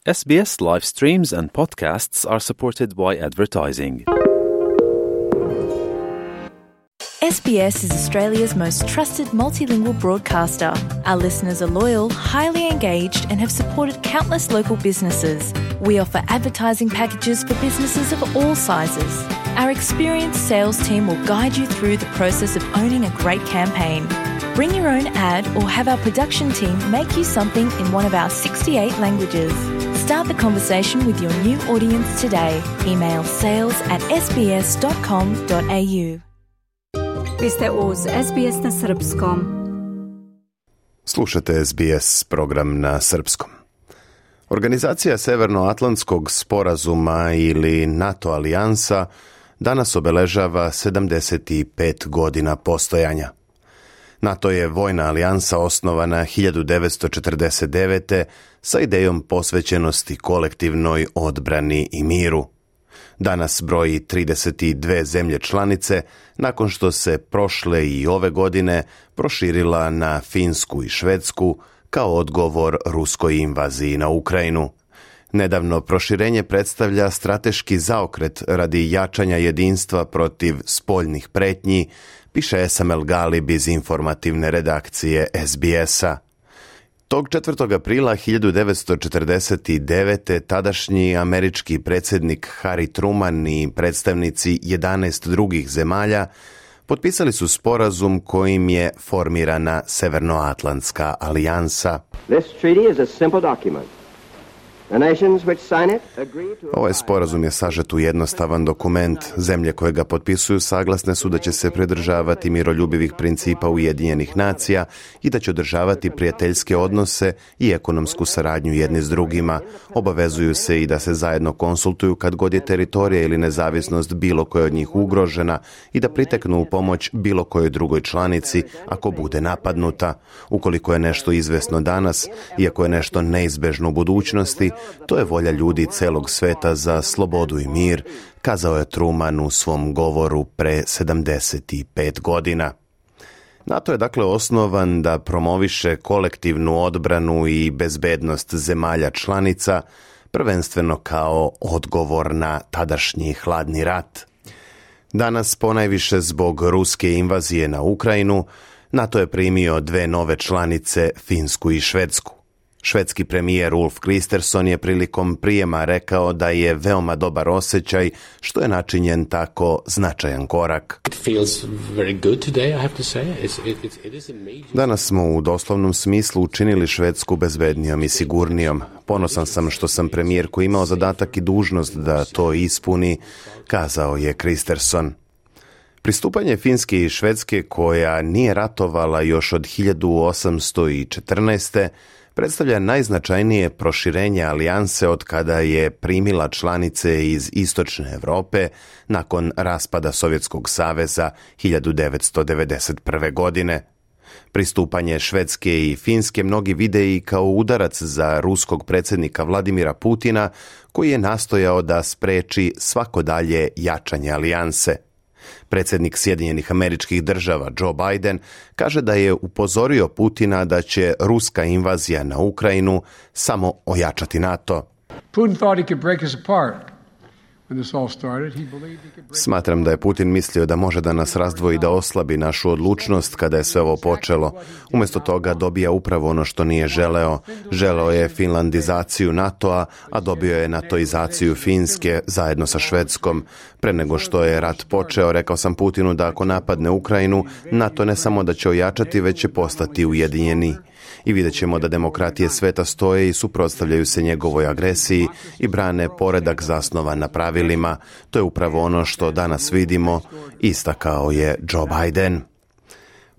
SBS live streams and podcasts are supported by advertising. SBS is Australia's most trusted multilingual broadcaster. Our listeners are loyal, highly engaged and have supported countless local businesses. We offer advertising packages for businesses of all sizes. Our experienced sales team will guide you through the process of owning a great campaign. Bring your own ad or have our production team make you something in one of our 68 languages. Start the conversation with your new audience today. Email sales@sbs.com.au. Vi ste uz SBS na srpskom. Slušate SBS program na srpskom. Organizacija Severnoatlantskog sporazuma ili NATO alijansa danas obeležava 75 godina postojanja. NATO je vojna alijansa osnovana 1949. sa idejom posvećenosti kolektivnoj odbrani i miru. Danas broji 32 zemlje članice, nakon što se prošle i ove godine proširila na Finsku i Švedsku kao odgovor ruskoj invaziji na Ukrajinu. Nedavno proširenje predstavlja strateški zaokret radi jačanja jedinstva protiv spoljnih pretnji, piše Esam El Galib iz informativne redakcije SBS-a. Tog 4. aprila 1949. tadašnji američki predsjednik Harry Truman i predstavnici 11 drugih zemalja potpisali su sporazum kojim je formirana Severnoatlantska alijansa. This treaty is a simple document. Ovaj sporazum je sažet u jednostavan dokument. Zemlje koje ga potpisuju saglasne su da će se pridržavati miroljubivih principa Ujedinjenih nacija i da će održavati prijateljske odnose i ekonomsku saradnju jedni s drugima. Obavezuju se i da se zajedno konsultuju kad god je teritorija ili nezavisnost bilo koje od njih ugrožena i da priteknu u pomoć bilo kojoj drugoj članici ako bude napadnuta. Ukoliko je nešto izvesno danas, iako je nešto neizbežno u budućnosti, to je volja ljudi celog sveta za slobodu i mir, kazao je Truman u svom govoru pre 75 godina. NATO je dakle osnovan da promoviše kolektivnu odbranu i bezbednost zemalja članica, prvenstveno kao odgovor na tadašnji hladni rat. Danas, ponajviše zbog ruske invazije na Ukrajinu, NATO je primio 2 nove članice, Finsku i Švedsku. Švedski premijer Ulf Kristersson je prilikom prijema rekao da je veoma dobar osjećaj što je načinjen tako značajan korak. Danas smo u doslovnom smislu učinili Švedsku bezbednijom i sigurnijom. Ponosan sam što sam premijer koji imao zadatak i dužnost da to ispuni, kazao je Kristersson. Pristupanje Finske i Švedske, koja nije ratovala još od 1814. predstavlja najznačajnije proširenje alijanse od kada je primila članice iz Istočne Europe nakon raspada Sovjetskog saveza 1991. godine. Pristupanje Švedske i Finske mnogi vide i kao udarac za ruskog predsjednika Vladimira Putina, koji je nastojao da spreči svako dalje jačanje alijanse. Predsjednik Sjedinjenih Američkih Država Joe Biden kaže da je upozorio Putina da će ruska invazija na Ukrajinu samo ojačati NATO. Smatram da je Putin mislio da može da nas razdvoji, da oslabi našu odlučnost kada je sve ovo počelo. Umjesto toga dobija upravo ono što nije želeo. Želeo je finlandizaciju NATO-a, a dobio je natoizaciju Finske zajedno sa Švedskom. Pre nego što je rat počeo, rekao sam Putinu da ako napadne Ukrajinu, NATO ne samo da će ojačati, već će postati ujedinjeni. I vidjet ćemo da demokratije sveta stoje i suprotstavljaju se njegovoj agresiji i brane poredak zasnovan na pravilima. To je upravo ono što danas vidimo, istakao je Joe Biden.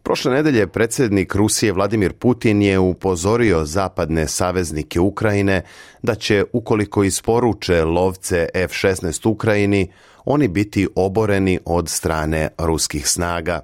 Prošle nedelje predsjednik Rusije Vladimir Putin je upozorio zapadne saveznike Ukrajine da će, ukoliko isporuče lovce F-16 Ukrajini, oni biti oboreni od strane ruskih snaga.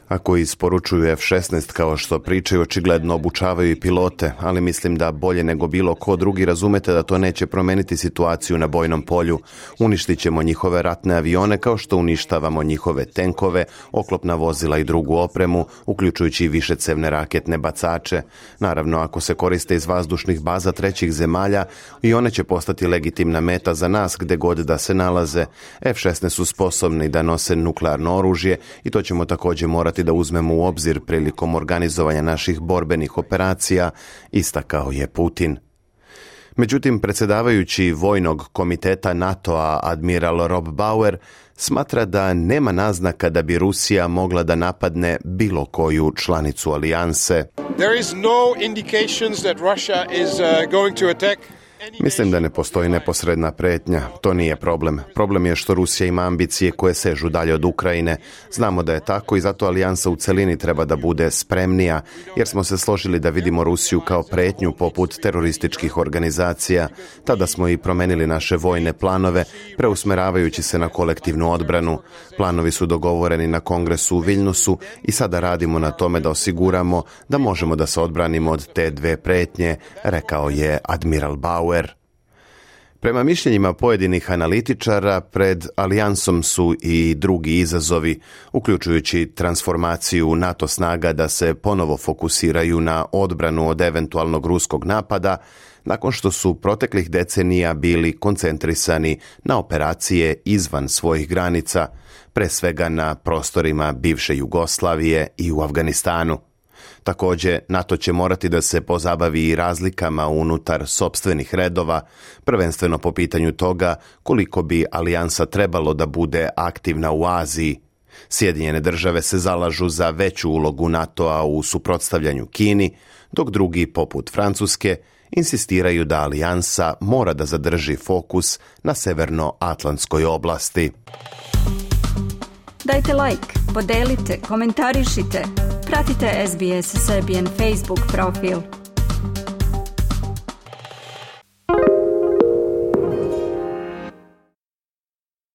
Ako isporučuju F-16 kao što pričaju, očigledno obučavaju i pilote, ali mislim da bolje nego bilo ko drugi razumete da to neće promeniti situaciju na bojnom polju. Uništit ćemo njihove ratne avione kao što uništavamo njihove tenkove, oklopna vozila i drugu opremu, uključujući i višecevne raketne bacače. Naravno, ako se koriste iz vazdušnih baza trećih zemalja, i one će postati legitimna meta za nas gde god da se nalaze. F-16 su sposobni da nose nuklearno oružje i to ćemo također morati da uzmemo u obzir prilikom organizovanja naših borbenih operacija, istakao je Putin. Međutim, predsjedavajući Vojnog komiteta NATO-a admiral Rob Bauer smatra da nema naznaka da bi Rusija mogla da napadne bilo koju članicu alijanse. There is no indications that Russia is going to attack. Mislim da ne postoji neposredna pretnja. To nije problem. Problem je što Rusija ima ambicije koje sežu dalje od Ukrajine. Znamo da je tako i zato alijansa u celini treba da bude spremnija, jer smo se složili da vidimo Rusiju kao pretnju poput terorističkih organizacija. Tada smo i promenili naše vojne planove, preusmeravajući se na kolektivnu odbranu. Planovi su dogovoreni na kongresu u Viljnusu i sada radimo na tome da osiguramo da možemo da se odbranimo od te dve pretnje, rekao je admiral Bauer. Prema mišljenjima pojedinih analitičara, pred alijansom su i drugi izazovi, uključujući transformaciju NATO snaga da se ponovo fokusiraju na odbranu od eventualnog ruskog napada, nakon što su proteklih decenija bili koncentrisani na operacije izvan svojih granica, pre svega na prostorima bivše Jugoslavije i u Afganistanu. Također, NATO će morati da se pozabavi i razlikama unutar sopstvenih redova, prvenstveno po pitanju toga koliko bi alijansa trebalo da bude aktivna u Aziji. Sjedinjene države se zalažu za veću ulogu NATO-a u suprotstavljanju Kini, dok drugi, poput Francuske, insistiraju da alijansa mora da zadrži fokus na severnoatlantskoj oblasti. Dajte like, podelite, komentarišite. Pratite SBS Serbian Facebook profil.